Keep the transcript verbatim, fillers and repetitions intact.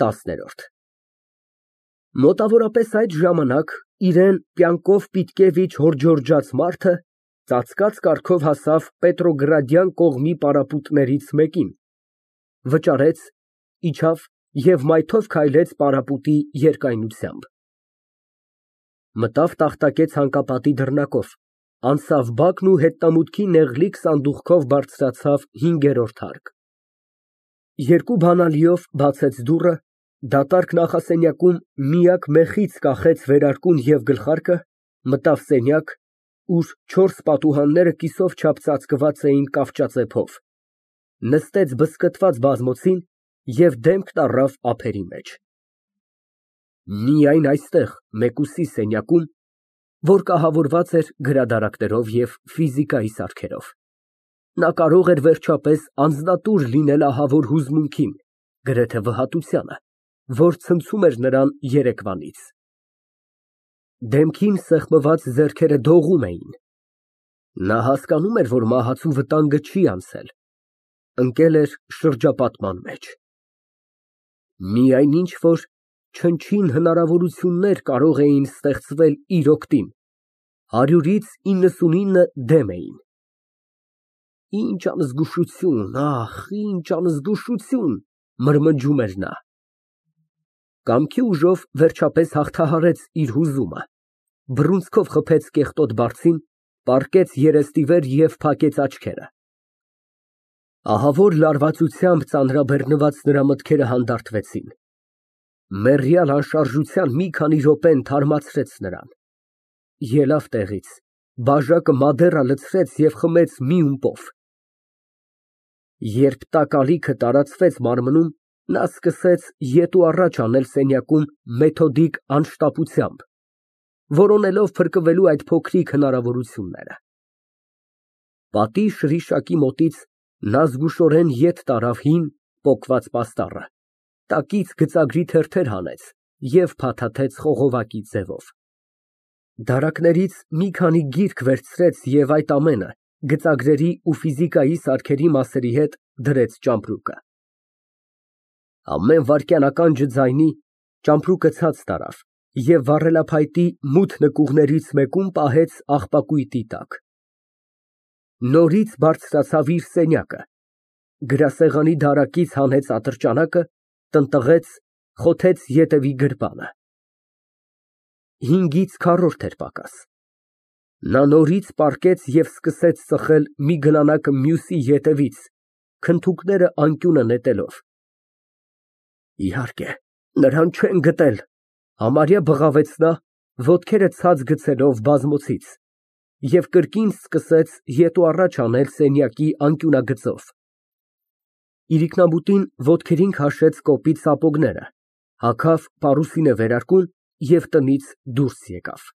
ՏԱՍՆԵՐՈՐԴ Մոտավորապես այդ ժամանակ իրան պյանկով պիտկևիչ հորջորջած մարդը ծածկած կառքով հասավ Պետրոգրադյան կողմի պարապմունքներից մեկին, վճարեց, իջավ և մայթով քայլեց պարապույտի երկայնությամբ, մտավ տախտակե ցանկապատի դռնակով, անցավ բակն ու հետնամուտքի նեղլիկ սանդուղքով բարձրացավ հինգերորդ հարկ, երկու բանալիով բացեց դուռը, դատարկ նախասենյակում միակ մեխից կախեց վերարկուն և գլխարկը, մտավ սենյակ, ուր չորս պատուհանները կիսով չափ ծածկված էին կավճածեփով, նստեց բզկտված բազմոցին և դեմքն առավ ափերի մեջ։ Միայն այստեղ, մեկուսի սենյակում, որ կահավորված էր գրադարաններով և ֆիզիկայի սարքերով, նա կարող էր վերջապես անձնատուր լինել ահավոր հուզմունքին, գրեթե վհատությանը, որ ցնցում էր նրան երեկվանից։ Դեմքին սեղմված ձեռքերը դողում էին, նա հասկանում էր, որ մահացու վտանգը չի անցել, ընկել էր շրջապատման մեջ։ Միայն ինչ֊որ չնչին հնարավորություններ կարող էին ստեղծվել իր օգտին, հարյուրից իննսունինը դեմ էին։ Ինչ անզգուշություն, ախ, ինչ անզգուշություն, մրմնջում էր նա։ Կամքի ուժով վերջապես հաղթահարեց իր հուզումը, բռունցքով խփեց կեղտոտ բարձին, պառկեց երեսնիվեր և փակեց աչքերը։ Ահավոր լարվածությամբ ծանրաբեռնված նրա մտքերը հանդարտվեցին, մեռյալ անշարժության մի քանի րոպեն թարմացրեց նրան, ելավ տեղից, բաժակը մադեռը լցրեց և խմեց մի ումպով։ Երբ տաք ալիքը տարածվեց մարմնում, նա սկսեց ետ ու առաջ անել սենյակում մեթոդիկ անշտապությամբ, որոնելով փրկվելու այդ փոքրիկ հնարավորությունները։ Պատի շրիշակի մոտից նա զգուշորեն ետ տարավ հին, պոկված պաստառը, տակից գծագրի թերթեր հանեց և փաթաթեց խողովակի ձևով։ Դարակներից մի քանի գիրք վերցրեց և այդ ամենը, գծագրերի ու ֆիզիկայի սարքերի մասերի հետ, դրեց ճամպրուկը։ Ամեն վայրկյան ականջը ձայնի, ճամպրուկը ցած տարավ և վառելափայտի մութ նկուղներից մեկում պահեց աղբակույտի տակ։ Նորից բարձրացավ իր սենյակը, գրասեղանի դարակից հանեց ատրճանակը, տնտղեց, խոթեց ետևի գրպանը։ Հինգից քառորդ էր պակաս։ Նա նորից պառկեց և սկսեց ծխել մի գլանակը մյուսի ետևից, քնթուկները անկյունը նետելով։ Իհարկե, նրան չեն գտել, համարյա բղավեց նա, ոտքերը ցած գցելով բազմոցից, և կրկին սկսեց ետ ու առաջ անել սենյակի անկյունագծով։ Իրիկնաբուտին ոտքերին քաշեց կոպիտ սապոգները, հագավ պարուսինե վերարկուն և տնից դուրս եկավ։